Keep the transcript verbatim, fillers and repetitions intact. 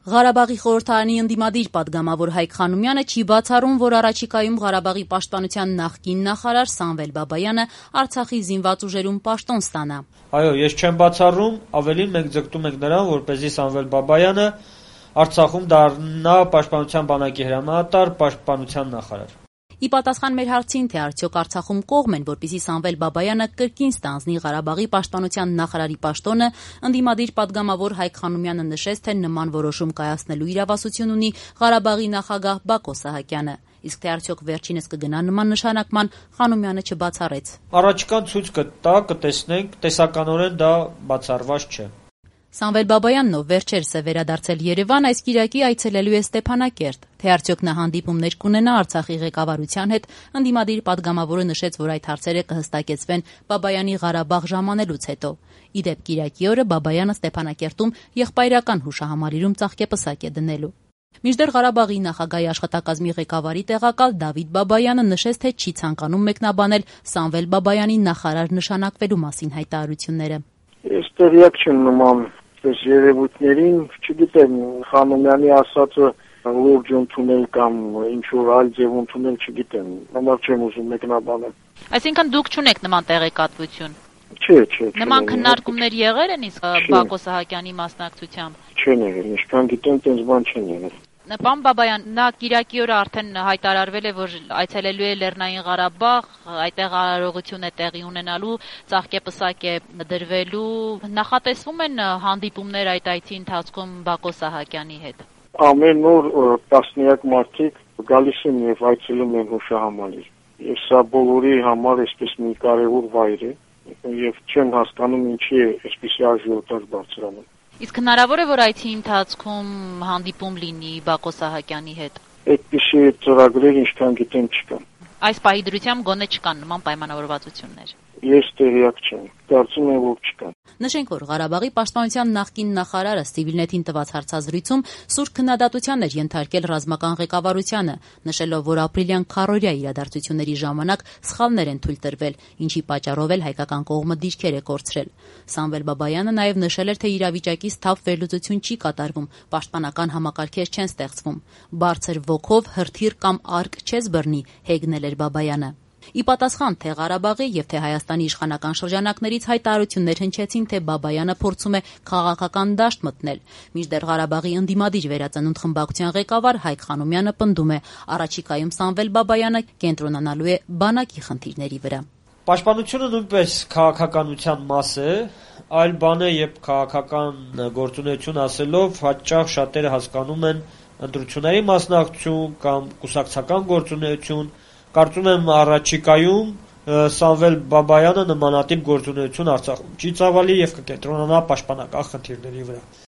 Ղարաբաղի խորհրդարանի ընդդիմադիր պատգամավոր Հայկ Խանոմյանը չի բացառում, որ առաջիկայում Ղարաբաղի պաշտպանության նախկին նախարար Սամվել Բաբայանը Արցախի զինված ուժերում պաշտոն ստանա։ Այո, ես չեմ բացառում, ավելին մենք ձգտում ենք նրան, որպեսզի Սամվել Բաբայանը Արցախում դառնա պաշտպանության բանակի հրամանատար, պաշտպանության նախարար։ Ի պատասխան մեր հարցին, թե արդյոք Արցախում կողմ են, որպեսզի Սամվել Բաբայանը կրկին ստանձնի Ղարաբաղի պաշտպանության նախարարի պաշտոնը, ընդդիմադիր պատգամավոր Հայկ Խանոմյանը նշեց, թե նման որոշում կայացնելու իրավասություն ունի Ղարաբաղի նախագահ Բակո Սահակյանը։ Իսկ թե արդյոք վերջինս կգնա նման նշանակման, Խանոմյանը չբացառեց։ Առաջիկան ցույց կտա, կտեսնենք, տեսականորեն դա բացառված չէ։ Սամվել Բաբայանն, ով վերջերս է վերադարձել Երևան, այս կիրակի այցելելու է Ստեփանակերտ։ Թե արդյոք նա հանդիպումներ կունենա Արցախի ղեկավարության հետ, ընդդիմադիր պատգամավորը նշեց, որ այդ հարցերը կհստակեցվեն Բաբայանի Ղարաբաղ ժամանելուց հետո։ Ի դեպ, կիրակի օրը Բաբայանը Ստեփանակերտում եղբայրական հուշահամալիրում ծաղկեպսակ է դնելու։ Մինչդեռ Ղարաբաղի նախագահի աշխատակազմի ղեկավարի տեղակալ Դավիթ Բաբայանը նշեց, թե չի ցանկանում մեկնաբանել Սամվել Բաբայանի նախարար նշանակվելու մասին հայտարարությունները։ Ես տեղյակ չեմ նման այս երևույթներին, չգիտեմ, Խանոմյանի ասածը լուրջ ընդունել կամ ինչ-որ այլ ձև ընդունել չգիտեմ, համար չեմ ուզում մեկնաբանել։ Այսինքն դուք չունեք նման տեղեկատվություն։ Չէ, չէ։ Նման քննարկումներ եղել են իսկ Բակո Սահակյանի մասնակցությամբ։ Չեն եղել, ինչքան գիտեմ, տենց բան չեն եղել։ Պարոն Բաբայան, նա կիրակի օրը արդեն հայտարարվել է, որ այցելելու է Լեռնային Ղարաբաղ, այդտեղ արարողություն է տեղի ունենալու, ծաղկեպսակ է դրվելու, նախատեսվում են հանդիպումներ այդ այցի ընթացքում Բակո Սահակյանի հետ։ Ամեն օր տասնյակ մարդիկ գալիս են եւ այցելում են հուշահամալիր։ Եվ սա բոլորի համար այսպես մի կարևոր վայր է, եւ չեմ հասկանում ինչի է այսպիսի աժիոտաժ բարձրանում։ Իսկ հնարավոր է, որ այցի ընթացքում հանդիպում լինի Բակո Սահակյանի հետ։ Այդպիսի ծրագրեր ինչքան գիտեմ չկան։ Այս պահի դրությամբ գոնե չկան նման պայմանավորվածություններ։ Ես տեղյակ չեմ, կարծում եմ, որ չկան։ Նշենք, որ Ղարաբաղի պաշտպանության նախկին նախարարը Civilnet-ին տված հարցազրույցում սուր քննադատության էր ենթարկել ռազմական ղեկավարությանը, նշելով, որ ապրիլյան քառօրյա իրադարձությունների ժամանակ սխալներ են թույլ տրվել, ինչի պատճառով էլ հայկական կողմը դիրքեր է կորցրել։ Սամվել Բաբայանը նաև նշել էր, թե իրավիճակից թավ վերլուծություն չի կատարվում, պաշտպանական համակարգեր չեն ստեղծվում։ Բարձր ոգով հրթիռ կամ արկ չես բռնի, հեգնել էր Բաբայանը։ Ի պատասխան թե Ղարաբաղի եւ թե Հայաստանի իշխանական շրջանակներից հայտարարություններ հնչեցին, թե Բաբայանը փորձում է քաղաքական դաշտ մտնել։ Մինչդեռ Ղարաբաղի ընդդիմադիր վերածնունդ խմբակցության ղեկավար Հայկ Խանոմյանը պնդում է, առաջիկայում Սամվել Բաբայանը կենտրոնանալու է բանակի խնդիրների վրա։ Պաշտպանությունը նույնպես քաղաքականության մաս է, այլ բան է, երբ քաղաքական գործունեություն ասելով հաճախ շատերը հասկանում են ընտրությունների մասնակցություն կամ կուսակցական գործունեություն։ Կարծում եմ առաջիկայում Սամվել Բաբայանը նմանատիպ գործունեություն Արցախում չի ծավալի եւ կկենտրոնանա պաշտպանական խնդիրների վրա։